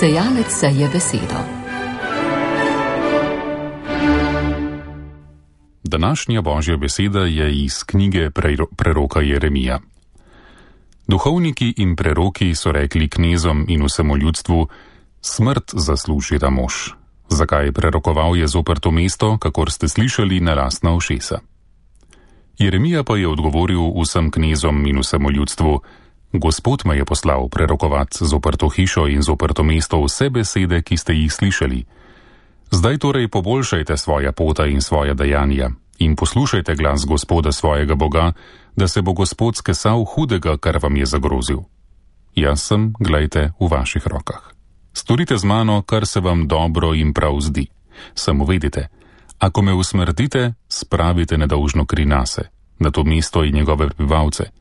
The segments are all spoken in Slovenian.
Sejalec seje besedo. Današnja Božja beseda je iz knjige preroka Jeremija. Duhovniki in preroki so rekli knezom in vsemu ljudstvu: smrt zasluži ta mož. Zakaj prerokoval je zoper to mesto, kakor ste slišali na lastna ušesa? Jeremija pa je odgovoril vsem knezom in vsemu ljudstvu: Gospod me je poslal prerokovat zoper to hišo in zoper to mesto vse besede, ki ste jih slišali. Zdaj torej poboljšajte svoja pota in svoja dejanja in poslušajte glas Gospoda svojega Boga, da se bo Gospod skesal hudega, kar vam je zagrozil. Jaz sem, glejte, v vaših rokah. Storite z mano, kar se vam dobro in prav zdi. Samo vedite, ako me usmrtite, spravite nedolžno kri nase, na to mesto in njegove prebivalce.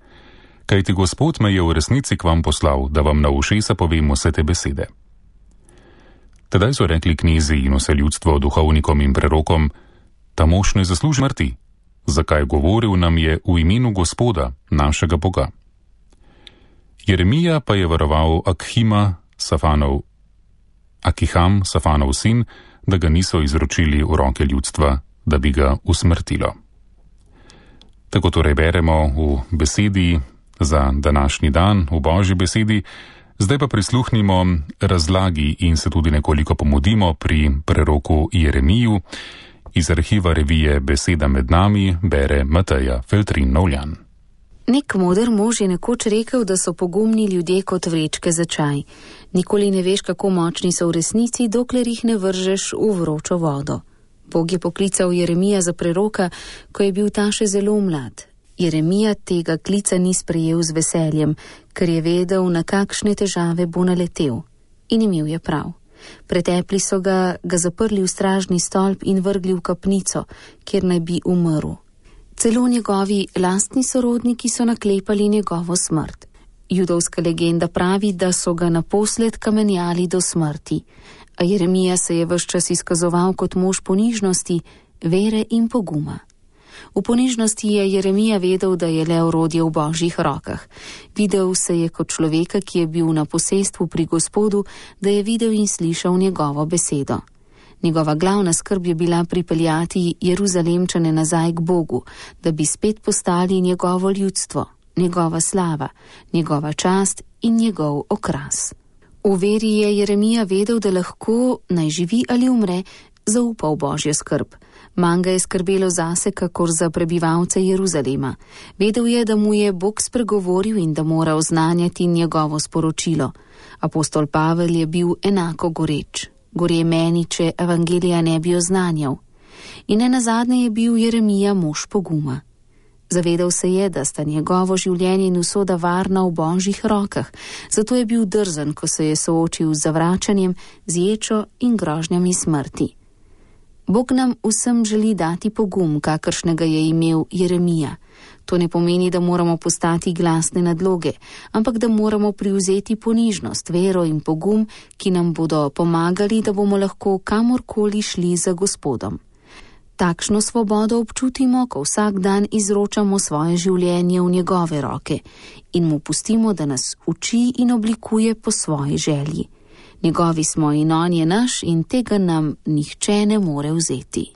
Kajti Gospod me je v resnici k vam poslal, da vam na ušesa povem vse te besede. Tedaj so rekli knezi in vse ljudstvo duhovnikom in prerokom: ta mož ne zasluži smrti. Zakaj govoril nam je v imenu Gospoda, našega Boga? Jeremija pa je varoval Akiham, Safanov sin, da ga niso izročili v roke ljudstva, da bi ga usmrtilo. Tako torej beremo v besedi za današnji dan, v Božji besedi. Zdaj pa prisluhnimo razlagi in se tudi nekoliko pomudimo pri preroku Jeremiju. Iz arhiva revije Beseda med nami bere Mateja Feltrin-Novljan. Nek moder mož je nekoč rekel, da so pogumni ljudje kot vrečke za čaj. Nikoli ne veš, kako močni so v resnici, dokler jih ne vržeš v vročo vodo. Bog je poklical Jeremija za preroka, ko je bil ta še zelo mlad. Jeremija tega klica ni sprejel z veseljem, ker je vedel, na kakšne težave bo naletel. In imel je prav. Pretepli so ga zaprli v stražni stolp in vrgli v kapnico, kjer naj bi umrl. Celo njegovi lastni sorodniki so naklepali njegovo smrt. Judovska legenda pravi, da so ga naposled kamenjali do smrti, a Jeremija se je ves čas izkazoval kot mož ponižnosti, vere in poguma. V ponižnosti je Jeremija vedel, da je le orodje v Božjih rokah. Videl se je kot človeka, ki je bil na posestvu pri Gospodu, da je videl in slišal njegovo besedo. Njegova glavna skrb je bila pripeljati Jeruzalemčane nazaj k Bogu, da bi spet postali njegovo ljudstvo, njegova slava, njegova čast in njegov okras. V veri je Jeremija vedel, da lahko, naj živi ali umre, zaupa v Božjo skrb. Manj ga je skrbelo zase, kakor za prebivalce Jeruzalema. Vedel je, da mu je Bog spregovoril in da mora oznanjati njegovo sporočilo. Apostol Pavel je bil enako goreč. Gorje meni, če evangelija ne bi oznanjal. In nenazadnje je bil Jeremija mož poguma. Zavedal se je, da sta njegovo življenje in usoda varna v Božjih rokah, zato je bil drzen, ko se je soočil z zavračanjem, z ječo in grožnjami smrti. Bog nam vsem želi dati pogum, kakršnega je imel Jeremija. To ne pomeni, da moramo postati glasne nadloge, ampak da moramo privzeti ponižnost, vero in pogum, ki nam bodo pomagali, da bomo lahko kamorkoli šli za Gospodom. Takšno svobodo občutimo, ko vsak dan izročamo svoje življenje v njegove roke in mu pustimo, da nas uči in oblikuje po svoji želji. Njegovi smo in on je naš in tega nam nihče ne more vzeti.